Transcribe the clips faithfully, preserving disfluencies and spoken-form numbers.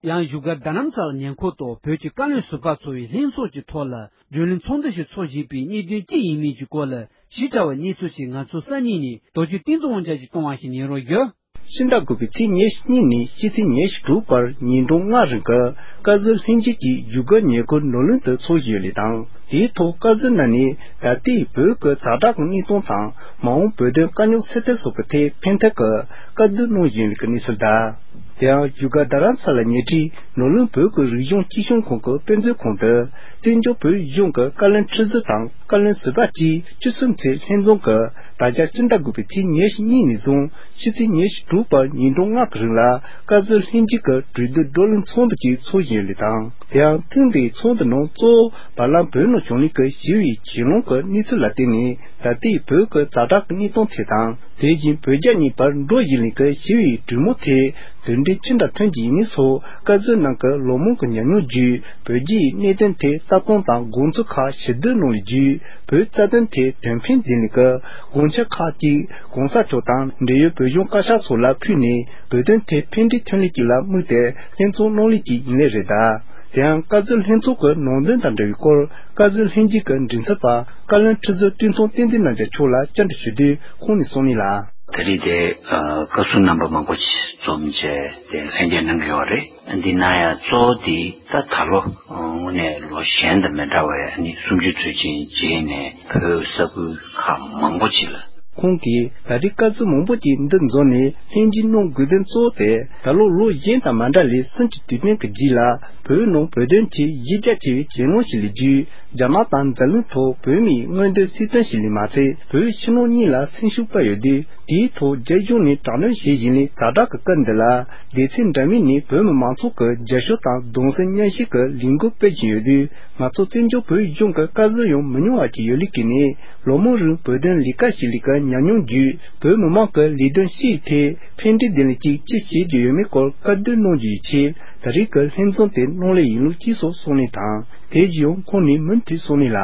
ཡང་བཞུགས་སྒར་རྡ་རམ་ས་ལ་ཉེ་འཁོར་དུ་བོད་ཀྱི་བཀའ་བློན་ཟུར་པ་ཚོ་ཡི་ལྷན་ཚོགས་ཀྱི་ཐོག་ལ་བགྲོ་གླེང་ཚོགས་འདུ་ཞིག་ཚོགས་བཞིན་པའི་གནད་དོན་ཅི་ཡིན་མིན་གྱི་སྐོར་ལ་ཞིབ་ཕྲ་བའི་གནས་ཚུལ་ཞིག་ང་ཚོ་གསར་རྙིང་ནས་རྡོ་རྗེ་བསྟན་འཛིན་དབང་ཆ་ཞིག་གཏོང་བ་ཞིག་ཉན་རོགས་ཞུ། ཕྱི་ཟླ་དགུ་པའི་ཚེས་ཉེར་གཉིས་ནས་ཕྱི་ཚེས་ཉེར་དྲུག་བར་ཉིན་གྲངས་ལྔ་རིང་གི་བཀའ་ཟུར་ལྷན་རྒྱས་ཀྱི་བཞུགས་སྒར་ཉེ་འཁོར་ནོར་གླིང་དུ་ཚོགས་བཞིན་ཡོད་ལེ་དང་། དེའི་ཐོག་བཀའ་ཟུར་རྣམས་ནས་ད་ལྟའི་བོད་ཀྱི་ཛ་དྲག་གི་གནས་སྟངས་དང་མ་འོངས་བོད་དོན་དཀའ་རྙོག་སེལ་ཐབས་སོགས་ཀྱི་ཐད་ཕན་ཐོགས་ཀྱི་བཀའ་བསྡུར་གནང་བཞིན་ཡོད་ལེ་གི་གནས་ཚུལ་དང་། དེ་ཡང་བཞུགས་སྒར་རྡ་རམ་ས་ལ་ཉེ་འཁྲིས་ནོར་གླིང་བོད་ཀྱི་རིག་གཞུང་སྤྱི་གཞུང་ཁང་གི་དཔེ་མཛོད་ཁང་དུ་བཙན་བྱོལ་བོད་གཞུང་གི་བཀའ་བློན་ཁྲི་ཟུར་དང་བཀའ་བློན་ཟུར་པ་བཅས་བཅུ་གསུམ་ཚོས་ལྷན་འཛོམས་ཀྱིས་ད་ཆ་ཕྱི་ཟླ་དགུ་པའི་ཚེས་ཉེར་གཉིས་ནས་བཟུང་ཕྱི་ཚེས་ཉེར་དྲུག་བར་ཉིན་གྲངས་ལྔ་གི་རིང་ལ་བཀའ་ཟུར་ལྷན་རྒྱས་ཀྱི་གྲོས་བསྡུར་བགྲོ་གླེང་ཚོགས་འདུ་ཅིག་ཚོགས་བཞིན་ཡོད་ལེ་དང་། དེ་ཡང་ཐེངས་འདིའི་ཚོགས་འདུ་ནང་གཙོ་བོ་བར་ལམ་བོད་ནང་བྱུང་ལེ་གི་ཞི་བའི་གྱེན་ལངས་ཀྱི་གནས་ཚུལ་ལ་བརྟེན་ནས་ད་ལྟའི་བོད་ཀྱི་ཛ་དྲག་གི་གནས་སྟངས་ཐད་དང་། དེ་བཞིན་བོད་རྒྱ་གཉིས་བར་འགྲོ་བཞིན་ལེ་གི་ཞི་བའི་གྲོས་མོལ་ཐད་དོན་འབྲས་ཅི་འདྲ་ཐོན་གྱི་ཡིན་མིན་སོགས་བཀའ་ཟུར་རྣམས་ཀྱི་ལོ་མང་གི་ཉམས་མྱོང་བརྒྱུད་བོད་རྒྱའི་གནད་དོན་ཐད་ལྟ་སྟངས་དང་དགོངས་ཚུལ་ཁག་ཞིབ་བསྡུར་གནང་བའི་བརྒྱུད་བོད་རྩ་དོན་ཐད་དོན་ཕན་ལྡན་ལེ་གི་དགོངས་འཆར་ཁག་ཅིག་གོང་ས་མཆོག་དང་འབྲེལ་ཡོད་བོད་གཞུང་བཀའ་ཤག་སོགས་ལ་ཕུལ་ནས་བོད་དོན་ཐད་ཕན་འབྲས་ཐོན་ལེ་ཅིག་ལ་དམིགས་ཏེ་ལྷན་ཚོགས་གནང་ལེ་ཅིག་ཡིན་ལེ་རེད་ད། དེ་ཡང་བཀའ་ཟུར་ལྷན་ཚོགས་ཀྱི་ནང་དོན་དང་འབྲེལ་བའི་སྐོར་བཀའ་ཟུར་ལྷན་རྒྱས་ཀྱི་མགྲིན་ཚབ་པ་བཀའ་བློན་ཁྲི་ཟུར་བཀྲས་མཐོང་བསྟན་འཛིན་རྣམ་རྒྱལ་མཆོག་ལ་བཅར་འདྲི་ཞུ་དུས་ཁོང་ནས་གསུངས་ནི་ལ། ད་རེས་དེ་བཀའ་ཟུར་རྣམ་པ་མང་པོ་ཞིག་འཛོམས་བྱས་དེ་ལྷན་རྒྱས་གནང་གི་ཡོད་རེད། འདི་ན་ཡང་གཙོ་བོ་དེ་ད་ད་ལོ་དངོས་གནས་ལོ་གཞན་དང་མི་འདྲ་བའི་ཨ་ནི་གསུམ་བཅུའི་དུས་ཆེན་རྗེས་ནས་བོད་ས་ཁུལ་ཁག་མང་པོ་ཞིག་ལ། ཁོང་གིས་ད་རེས་བཀའ་ཟུར་མང་པོ་ཅིག་འདུ་འཛོམས་ནས་ལྷན་རྒྱས་གནང་དགོས་དོན་གཙོ་བོ་དེ་ད་ལོ་ལོ་གཞན་དང་མ་འདྲ་ལས་གསུམ་གྱི་དུས་དྲན་གྱི་རྗེས་ལ་བོད་ནང་བོད་དོན་ཆེད་གཞི་རྒྱ་ཆེ་བའི་གྱེན་ལངས་ཤིག་ལས་བརྒྱུད་རྒྱ་ནག་དང་འཛམ་གླིང་ཐོག་བོད་མིའི་མངོན་འདོད་སྲིད་དོན་ཞིག་ལས་མ་ཚད་བོད་ཕྱི་ནང་གཉིས་ལ་སེམས་ཤུགས་སྤར་ཡོད་དུས། དེའི་ཐོག་རྒྱ་གཞུང་ནས་དྲག་གནོན་བྱེད་བཞིན་ལས་ཛ་དྲག་གི་སྐབས་འདི་ལ་སྡེ་ཚན་འདྲ་མིན་ནས་བོད་མི་མང་ཚོགས་ཀྱི་རྒྱབ་སྐྱོར་དང་གདུང་སེམས་མཉམ་སྐྱེད་ཀྱི་ལས་འགུལ་སྤེལ་བཞིན་ཡོད་དུས། ང་ཚོ་བཙན་བྱོལ་བོད་གཞུང་གི་བཀའ་ཟུར་ཡང་མི་ཉུང་བ་ཞིག་ཡོད་ལེ་གི་ནས་ལོ་མང་རིང་བོད་དོན་ལས་ཀ་བྱེད་ལེ་གི་ཉམས་མྱོང་བརྒྱུད་བོད་མི་མང་གི་ལས་དོན་སྤྱིའི་ཐད་ཕན་འབྲས་ལྡན་ལེ་ཅིག་ཅི་བྱེད་རྒྱུ་ཡོད་མེད་སྐོར་བཀའ་བསྡུར་གནང་རྒྱུ་ཡི་ཆེད་ད་རེས་ཀྱི་ལྷན་འཛོམས་དེ་གནང་ལེ་ཡིན་ལུགས་ཅེས་སོགས་གསུངས་ནས་དང་། དེ་བཞིན་ཡང་ཁོང་ནས་མུ་མཐུད་གསུངས་ནས་ལ།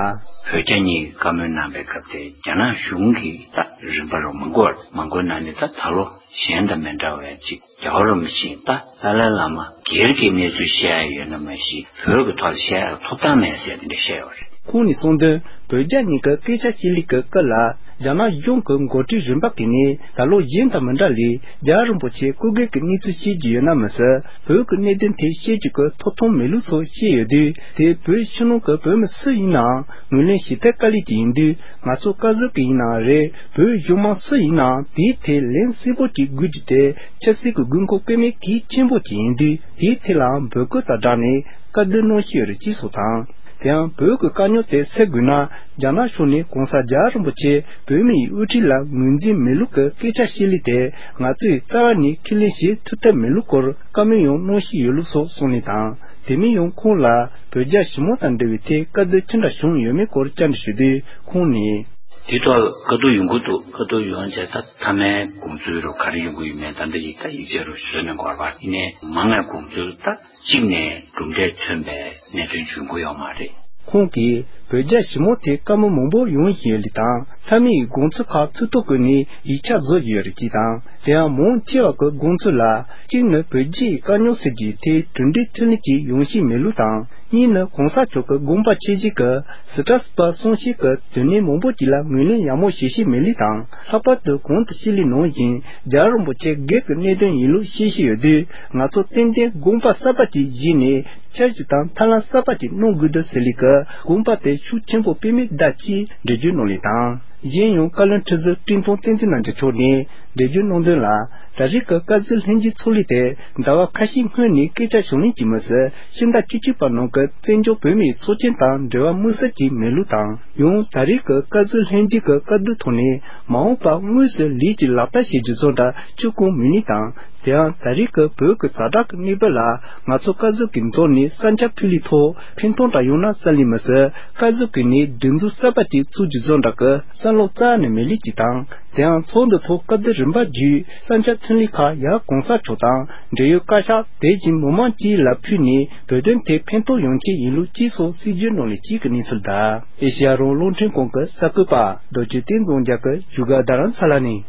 བོད་རྒྱ་གཉིས་ཀྱི་བཀའ་མོལ་གནང་བའི་སྐབས་དེ་རྒྱ་ནག་གཞུང་གིས་ད་རིམ་པ་རུ་མང་པོ་མང་པོ་གནང་ནས་ད་ད་ལོ་གཞན་དང་མི་འདྲ་བའི་ཅིག་རྒྱལ་བ་རིན་པོ་ཆེ་ད་ཏཱ་ལའི་བླ་མ་སྒེར་གྱི་གནས་ཚུལ་བཤད་ཡ་ཡོད་ན་མ་གཞི་བོད་ཀྱི་ཐོག་ལ་བཤད་ཡ་ཐོབ་ཐང་མེད་ཟེར་དེ་འདྲ་བཤད་ཡོད་རེད། ཁོང་ནས་གསུངས་དོན། བོད་རྒྱ་གཉིས་ཀྱི་སྐད་ཆ་བཤད་ལེ་གི་སྐབས་ལ་རྒྱ་ནག་གཞུང་གི་འགོ་ཁྲིད་རིམ་པ་གིས་ནས་ད་ལོ་གཞན་དང་མི་འདྲ་ལས་རྒྱལ་བ་རིན་པོ་ཆེ་སྐུ་སྒེར་གྱི་གནས་ཚུལ་བཤད་རྒྱུ་ཡོད་ན་མི་སྲིད་བོད་ཀྱི་གནད་དོན་ཐད་བཤད་རྒྱུ་གི་ཐོབ་ཐང་མེད་ལུགས་སོགས་བཤད་ཡོད་དུས། དེ་བོད་ཕྱི་ནང་གི་བོད་མི་སུ་ཡིན་ནའང་ངོས་ལེན་བྱེད་ཐབས་དཀའ་ལས་ཅིག་ཡིན་དུས། ང་ཚོ་བཀའ་ཟུར་གྱི་ཡིན་ནའང་རེད། བོད་གཞུང་མང་སུ་ཡིན་ནའང་དེའི་ཐད་ལན་གསལ་པོ་ཅིག་དགོས་རྒྱུ་དེ་ཆབ་སྲིད་ཀྱི་དགོས་མཁོ་དཔེ་མེད་གལ་ཆེན་པོ་ཅིག་ཡིན་དུས། དེའི་ཐད་ལའང་འབོད་སྐུལ་དང་སྦྲགས་ནས་བཀའ་བསྡུར་གནང་བཞིན་ཡོད་རེད་ཅེས་སོགས་དང་། དེ་ཡང་བོད་ཀྱི་དཀའ་རྙོག་དེ་སེལ་དགོས་ན་རྒྱ་ནག་ཕྱོགས་ནས་གོང་ས་རྒྱལ་བ་རིན་པོ་ཆེ་བོད་མིའི་དབུ་ཁྲིད་ལ་ངོས་འཛིན་མེད་ལུགས་ཀྱི་སྐད་ཆ་བཤད་ལེ་དེ་ང་ཚོས་རྩ་བ་ནས་ཁས་ལེན་བྱེད་ཐུབ་ཐབས་མེད་ལུགས་སྐོར་བཀའ་མོལ་ཡང་གནང་བཞིན་ཡོད་ལུགས་སོགས་གསུངས་ནས་དང་། དེ་མིན་ཡང་ཁོང་ལ་བོད་རྒྱ་ཞི་མོལ་དང་འབྲེལ་བའི་ཐད་བཀའ་བསྡུར་ཅི་འདྲ་བྱུང་ཡོད་མེད་སྐོར་བཅར་འདྲི་ཞུ་དུས་ཁོང་ནས། དེ་ཐོག་བཀའ་བསྡུར་ཡོང་གི་འདུག་བཀའ་བསྡུར་ཡོང་བྱས་ད་མཐའ་མའི་དགོངས་ཚུལ་རུ་ག་རེ་ཡོང་གི་ཡོད་མེད་ད་འདི་ཡིག་ད་ཡིག་ཆ་རུ་བཟོས་ནས་འགོར་བ་ཡིན་ནའི་མང་བའི་དགོངས་ཚུལ་ད་གཅིག་ནས་གྲུབ་འབྲས་ཐོན་པའི་གནད་དོན་བྱུང་གི་ཡོད་མ་རེད། ཁོང་གིས་བོད་རྒྱ་ཞི་མོལ་ཐད་བཀའ་མོལ་མང་པོ་ཡོང་བཞིན་ཡོད་ལེ་དང་མཐའ་མའི་དགོངས་ཚུལ་ཁག་ཚིག་ཐོ་བཀོད་ནས་ཡིག་ཆ་བཟོ་བཞིན་ཡོད་རེད་ཅེས་དང་། དེ་ཡང་མང་ཆེ་བ་གི་དགོངས་ཚུལ་ལ་གཅིག་ནི་བོད་རྒྱའི་དཀའ་རྙོག་སེལ་རྒྱུའི་ཐད་གྲུབ་འབྲས་ཐོན་ལེ་ཅིག་ཡོང་བཞིན་མེད་ལུགས་དང་། གཉིས་ནི་གོང་ས་མཆོག་གི་དགོངས་པ་ཆེ་བཞེས་ཀྱིས་སི་ཏྲ་སི་པ་གསུང་བཤད་ཀྱི་དོན་གནད་མང་པོ་ཅིག་ལ་ངོས་ལེན་ཡག་མོ་བྱེད་ཤེས་མེད་ལུགས་དང་། ལྷག་པར་དུ་གོང་དུ་བཤད་ལུགས་ནང་བཞིན་རྒྱལ་བ་རིན་པོ་ཆེ་སྒེར་གྱི་གནད་དོན་ཡིན་ལུགས་བཤད་བཞིན་ཡོད་དུས། ང་ཚོ་ཏན་ཏན་དགོངས་པ་གསར་པ་ཅིག་བཞེས་ནས་འཆར་གཞི་དང་ཐབས་ལམ་གསར་པ་ཅིག་གནང་དགོས་འདུག་ཟེར་ལུགས་ཀྱི་དགོངས་པ་དེ་ཤུགས་ཆེན་པོ་དཔེ་མེད་གདའ་ཅེས་འགྲེལ་བརྗོད་གནང་ལུགས་དང་། གཞན་ཡང་བཀའ་བློན་ཁྲི་ཟུར་བཀྲས་མཐོང་བསྟན་འཛིན་རྣམ་རྒྱལ་མཆོག་ནས་འགྲེལ་བརྗོད་གནང་དོན་ལ། ད་རེས་ཀྱི་བཀའ་ཟུར་ལྷན་རྒྱས་ཚོགས་ལུགས་དེ་ཟླ་བ་ཁ་ཤས་སྔོན་ནས་སྐད་ཆ་བྱུང་ལེ་ཅིག་མི་ཟད་ཕྱི་ཟླ་བཅུ་གཅིག་པ་ནང་གི་བཙན་བྱོལ་བོད་མིའི་ཚོགས་ཆེན་དང་འབྲེལ་བ་དམིགས་བསལ་ཅིག་མེད་ལུགས་དང་། ཡང་ད་རེས་ཀྱི་བཀའ་ཟུར་ལྷན་རྒྱས་ཀྱི་བཀའ་བསྡུར་ཐོག་ནས་མ་འོངས་པར་དངོས་སུ་ལས་ཀྱི་ལག་བསྟར་བྱེད་རྒྱུ་བཟོ་འདྲ་བྱེད་དགོས་མེད་ལུགས་དང་། དེ་ཡང་ད་རེས་ཀྱི་བོད་ཀྱི་ཛ་དྲག་གི་གནས་བབ་ལ་ང་ཚོ་བཀའ་ཟུར་གྱི་འཛོམས་ནས་ས་ཆ་ཕུལ་ལུགས་ཐོག་ཕན་ཐོགས་འདྲ་ཡོང་ན་བསམ་ལེ་མི་ཟད། བཀའ་ཟུར་གྱི་ནས་སྒྲིག་འཛུགས་གསར་པ་ཅིག་བཙུགས་རྒྱུ་བཟོ་འདྲ་གི་བསམ་བློ་རྩ་ནས་མེད་ལུགས་ཅིག་དང་། དེ་ཡང་ཚོགས་འདུ་ཐོག་བཀའ་བསྡུར་རིམ་པ་བརྒྱུད་ས་ཆ་ཐོན་ལུགས་ཁག་ཡར་གོང་ས་མཆོག་དང་འབྲེལ་ཡོད་བཀའ་ཤག་དེ་བཞིན་མི་མང་བཅས་ལ་ཕུལ་ནས་བོད་དོན་ཐད་ཕན་ཐོགས་ཡོང་ཆེད་ཡིན་ལུགས་ཅེས་སོགས་སྲིད་བྱུས་གནང་ལུགས་གཅིག་གི་གནས་ཚུལ་དང་། ཨེ་ཤེ་ཡ་རང་དབང་རླུང་འཕྲིན་ཁང་གི་གསར་འགོད་པ་རྡོ་རྗེ་བསྟན་འཛིན་རྒྱ་གར་བཞུགས་སྒར་རྡ་རམ་ས་ལ་ནས།